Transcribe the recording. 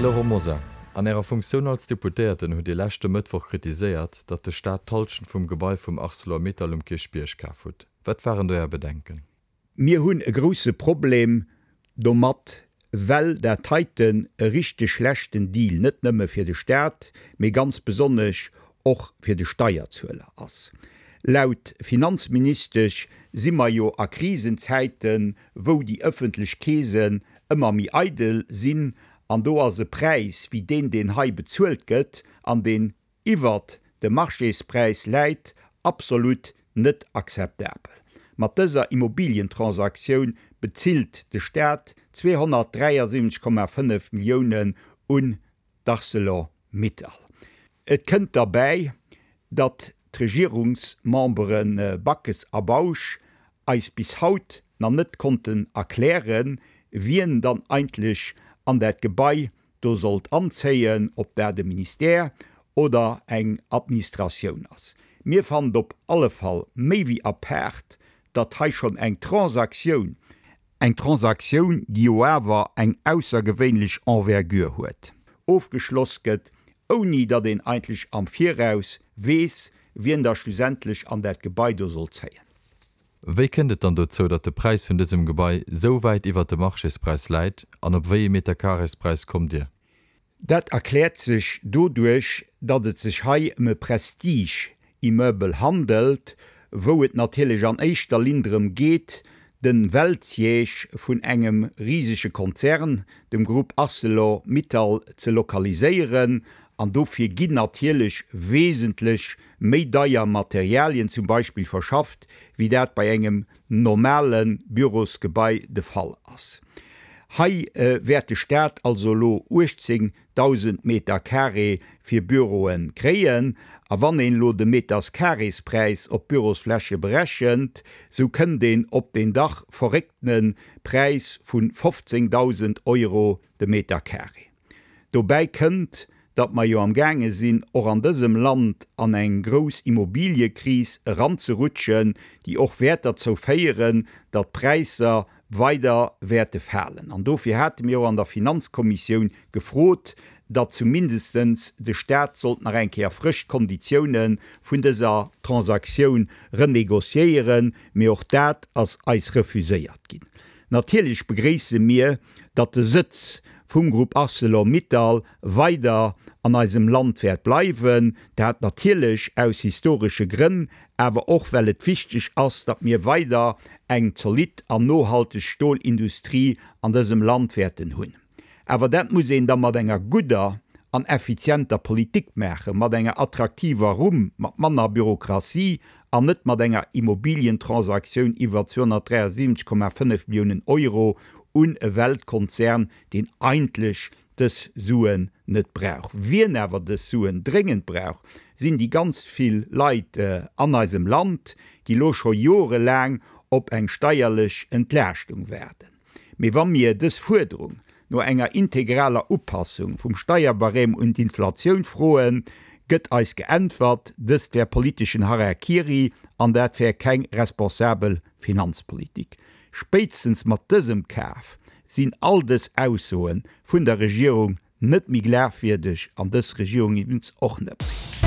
Laurent Mosar, an Ärer Funktioun als Deputéierten hutt Dir leschte Mëttwoch kritiséiert, datt de Staat d'Hallschent vum Gebai vum Arcelor Mittal um Kierchbierg kaf hutt. Wat waren do Är Bedenken? Mir hunn e grousse Problem domat, well dat heiten e richteg schlechten Deal net nëmme fir de Staat, mee ganz besonnesch och fir de Steierzueler ass. Laut Finanzministesch si mer jo a Krisenzäiten, wou déi ëffentlech Keesen ëmmer méi eidel sinn, an do ass e Präis wéi deen, deen hei bezuelt gëtt an deen iwwert dem Marchéspräis läit, absolut net akzeptabel. Mat dëser Immobilientransaktioun bezilt de Staat 273,5 Milliounen un d'Arcelor Mittal. Et kënnt derbäi, datt d'Regierungsmembere Backes a Bausch eis bis haut na net konnten erklären, wien dann eigentlech an dat Gebai do sollt anzéien, ob dat e Ministère oder eng Administratioun ass. Mir fannen op alle Fall méi wéi apaart, datt hei schonn eng Transaktioun, eng Transaktioun, déi jo awer eng aussergewéinlech Envergure huet, ofgeschloss gëtt, ouni datt een eigentlech am Viraus weess, wien da schlussendlech an dat Gebai do soll zéien. Wéi kënnt et dann dozou, datt de Präis vun dësem Gebai sou wäit iwwert dem Marchéspräis läit an op wéi ee Meterkarespräis kommt Dir? Dat erkläert sech doduerch, datt et sech hei ëm e Prestige-Immeuble handelt, wou et natierlech an éischter Linn drëm geet, de Weltsiège vun engem risege Konzern, dem Groupe Arcelor Mittal, ze lokaliséieren. An dofir ginn natierlech wesentlech méi deier Materialien zum Beispill verschafft, wéi dat bei engem normale Bürosgebai de Fall ass. Hei wäert de Staat also elo 18.000 Meter carré fir Büroe kréien. A wann een elo de Meterscarréspräis op d'Bürosfläche berechent, sou kënnt een op deen dach verrécktene Präis vu 15.000 Euro de Meter carré. Dobäi kënnt, datt mer jo am gaange sinn, och an dësem Land an eng grouss Immobiliëkris eranzerutschen, déi och wäert derzou féieren, datt d'Präisser weider wäerte falen. An dofir hate mir och an der Finanzkommissioun gefrot, datt zumindestens de Stat sollt nach eng Kéier frësch d'Konditioune vun dëser Transaktioun renégociéieren, mee och dat ass eis refuséiert ginn. Natierlech begréisse mir, datt de Sëtz vum Grupp Arcelor Mittal weider an eisem Land wäert bleiwen, dat natierlech aus historesche Grënn, awer och well et wichteg ass, datt mir weider eng zolidd an nohalteg Stolindustrie an dësem Land wäerten hunn. Awer dat muss een da mat enger gudder an effizienter Politik maachen, mat enger attraktiver Rumm, mat manner Bürokratie an net mat enger Immobilientransaktioun iwwer 273,5 Milliounen Euro un e Weltkonzern, deen eigentlech dës Suen net brauch. Wien awer dës Suen dréngend brauch, sinn déi ganz vill Leit an eisem Land, déi elo scho jorelaang op eng steierlech Entlaaschtung waarden. Mee wa mir dës Fuerderung no enger integraler Upassung vum Steierbarème un d'Inflatioun froen, gëtt eis geäntwert, dëst wär politeschen Harakiri an dat wär keng responsabel Finanzpolitik. Spéitstens mat dësem Kaf sinn all dës Aussoe vun der Regierung net méi glafwierdeg an dës Regierung iwwens och net méi.